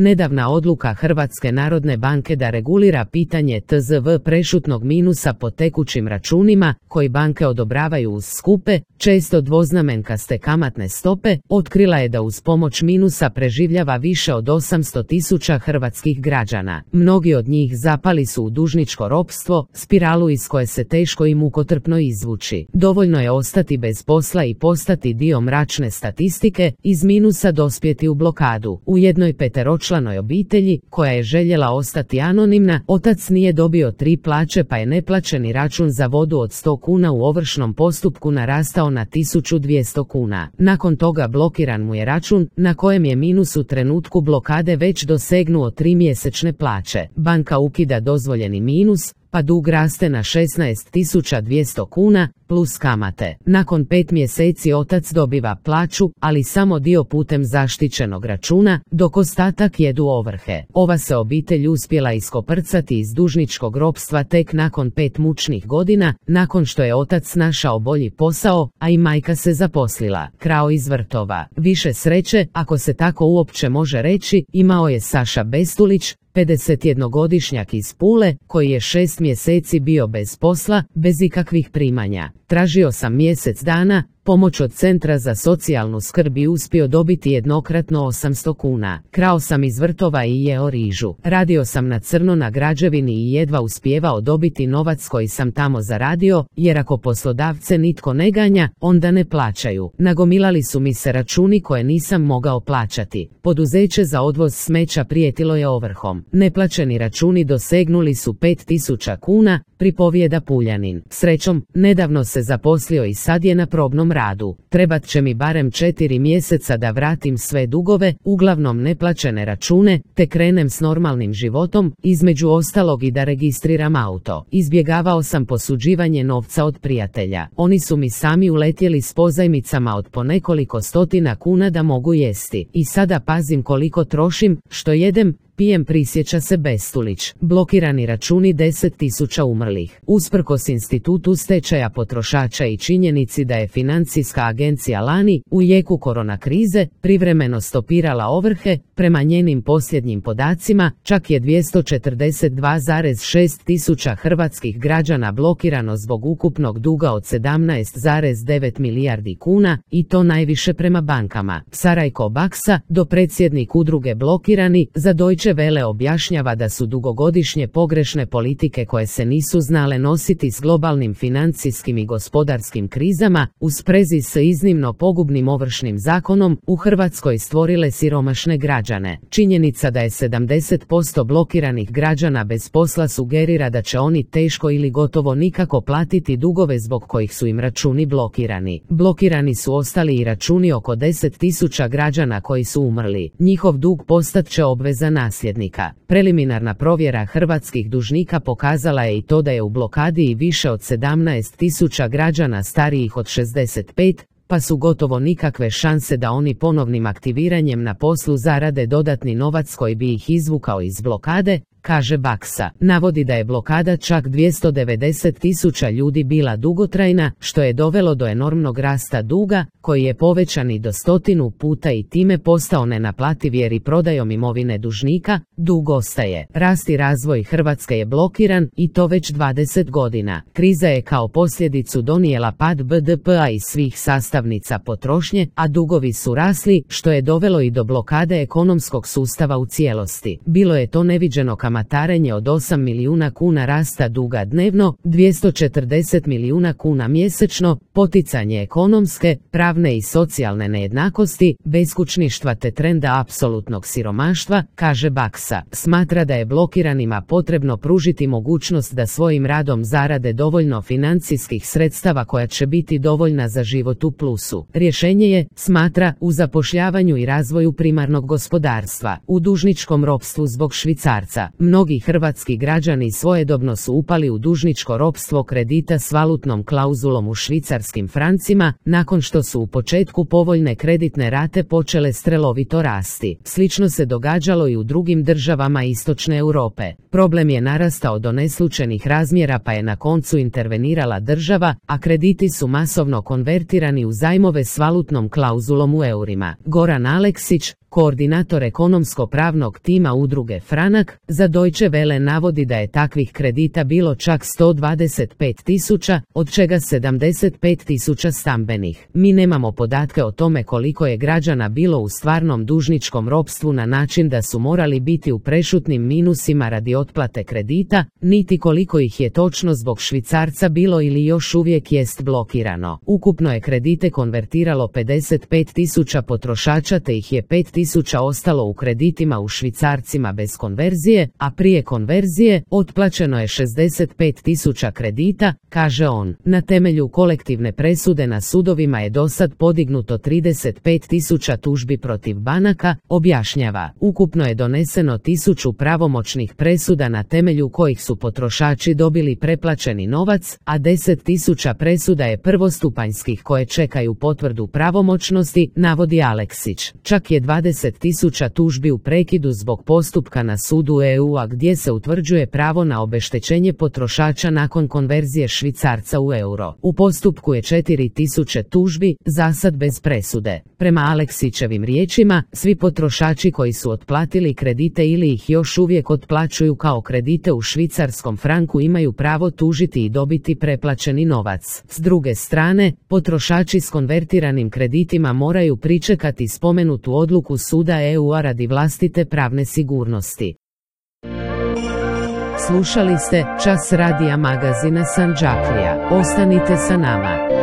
Nedavna odluka Hrvatske narodne banke da regulira pitanje tzv. Prešutnog minusa po tekućim računima, koji banke odobravaju uz skupe, često dvoznamenkaste kamatne stope, otkrila je da uz pomoć minusa preživljava više od 800.000 hrvatskih građana. Mnogi od njih zapali su u dužničko ropstvo, spiralu iz koje se teško i mukotrpno izvući. Dovoljno je ostati bez posla i postati dio mračne statistike, iz minusa dospjeti u blokadu. U jednoj peteročlanoj obitelji, koja je željela ostati anonimna, otac nije dobio 3 plaće pa je neplaćeni račun za vodu od 100 kuna u ovršnom postupku narastao na 1200 kuna. Nakon toga blokiran mu je račun, na kojem je minus u trenutku blokade već dosegnuo 3 mjesečne plaće. Banka ukida dozvoljeni minus, pa dug raste na 16.200 kuna, plus kamate. Nakon 5 mjeseci otac dobiva plaću, ali samo dio putem zaštićenog računa, dok ostatak jedu ovrhe. Ova se obitelj uspjela iskoprcati iz dužničkog ropstva tek nakon 5 mučnih godina, nakon što je otac našao bolji posao, a i majka se zaposlila. Krao iz vrtova. Više sreće, ako se tako uopće može reći, imao je Saša Bestulić, 51-godišnjak iz Pule, koji je 6 mjeseci bio bez posla, bez ikakvih primanja. Tražio sam mjesec dana, pomoć od Centra za socijalnu skrb i uspio dobiti jednokratno 800 kuna. Krao sam iz vrtova i jeo rižu. Radio sam na crno na građevini i jedva uspijevao dobiti novac koji sam tamo zaradio, jer ako poslodavce nitko ne ganja, onda ne plaćaju. Nagomilali su mi se računi koje nisam mogao plaćati. Poduzeće za odvoz smeća prijetilo je ovrhom. Neplaćeni računi dosegnuli su 5000 kuna, pripovijeda Puljanin. Srećom, nedavno se zaposlio i sad je na probnom radu. Trebat će mi barem 4 mjeseca da vratim sve dugove, uglavnom neplaćene račune, te krenem s normalnim životom, između ostalog i da registriram auto. Izbjegavao sam posuđivanje novca od prijatelja. Oni su mi sami uletjeli s pozajmicama od po nekoliko stotina kuna da mogu jesti. I sada pazim koliko trošim, što jedem, pijem, prisjeća se Bestulić. Blokirani računi, 10.000 umrlih. Usprkos institutu stečaja potrošača i činjenici da je Financijska agencija lani, u jeku korona krize, privremeno stopirala ovrhe, prema njenim posljednjim podacima, čak je 242,6 tisuća hrvatskih građana blokirano zbog ukupnog duga od 17,9 milijardi kuna, i to najviše prema bankama. Sarajko Baksa, dopredsjednik udruge Blokirani, za Deutsche Welle objašnjava da su dugogodišnje pogrešne politike koje se nisu znale nositi s globalnim financijskim i gospodarskim krizama, u sprezi s iznimno pogubnim ovršnim zakonom, u Hrvatskoj stvorile siromašne građane. Činjenica da je 70% blokiranih građana bez posla sugerira da će oni teško ili gotovo nikako platiti dugove zbog kojih su im računi blokirani. Blokirani su ostali i računi oko 10.000 građana koji su umrli. Njihov dug postat će obveza nasljednika. Preliminarna provjera hrvatskih dužnika pokazala je i to da je u blokadi i više od 17.000 građana starijih od 65, pa su gotovo nikakve šanse da oni ponovnim aktiviranjem na poslu zarade dodatni novac koji bi ih izvukao iz blokade, kaže Baksa. Navodi da je blokada čak 290.000 ljudi bila dugotrajna, što je dovelo do enormnog rasta duga, koji je povećan i do 100 puta i time postao nenaplativ jer i prodajom imovine dužnika, dug ostaje. Rast i razvoj Hrvatske je blokiran, i to već 20 godina. Kriza je kao posljedicu donijela pad BDP-a i svih sastavnica potrošnje, a dugovi su rasli, što je dovelo i do blokade ekonomskog sustava u cijelosti. Bilo je to neviđeno kamatarenje od 8 milijuna kuna rasta duga dnevno, 240 milijuna kuna mjesečno, poticanje ekonomske, pravne i socijalne nejednakosti, beskućništva te trenda apsolutnog siromaštva, kaže Baksa. Smatra da je blokiranima potrebno pružiti mogućnost da svojim radom zarade dovoljno financijskih sredstava koja će biti dovoljna za život u plusu. Rješenje je, smatra, u zapošljavanju i razvoju primarnog gospodarstva. U dužničkom ropstvu zbog švicarca Mnogi hrvatski građani svojedobno su upali u dužničko ropstvo kredita s valutnom klauzulom u švicarskim francima, nakon što su u početku povoljne kreditne rate počele strelovito rasti. Slično se događalo i u drugim državama istočne Europe. Problem je narastao do neslućenih razmjera pa je na koncu intervenirala država, a krediti su masovno konvertirani u zajmove s valutnom klauzulom u eurima. Goran Aleksić, koordinator ekonomsko-pravnog tima udruge Franak, za Deutsche Welle navodi da je takvih kredita bilo čak 125.000, od čega 75.000 stambenih. Mi nemamo podatke o tome koliko je građana bilo u stvarnom dužničkom ropstvu na način da su morali biti u prešutnim minusima radi otplate kredita, niti koliko ih je točno zbog švicarca bilo ili još uvijek jest blokirano. Ukupno je kredite konvertiralo 55.000 potrošača te ih je 5.000 ostalo u kreditima u švicarcima bez konverzije, a prije konverzije otplaćeno je 65.000 kredita, kaže on. Na temelju kolektivne presude na sudovima je dosad podignuto 35.000 tužbi protiv banaka, objašnjava. Ukupno je doneseno 1000 pravomoćnih presuda na temelju kojih su potrošači dobili preplaćeni novac, a 10.000 presuda je prvostupanjskih koje čekaju potvrdu pravomoćnosti, navodi Aleksić. Čak je 20.000 tužbi u prekidu zbog postupka na sudu EU-a gdje se utvrđuje pravo na obeštećenje potrošača nakon konverzije švicarca u euro. U postupku je 4.000 tužbi, zasad bez presude. Prema Aleksićevim riječima, svi potrošači koji su otplatili kredite ili ih još uvijek otplaćuju kao kredite u švicarskom franku imaju pravo tužiti i dobiti preplaćeni novac. S druge strane, potrošači s konvertiranim kreditima moraju pričekati spomenutu odluku suda EU-a radi vlastite pravne sigurnosti. Slušali ste Čas radija magazina Sandžaklija. Ostanite sa nama.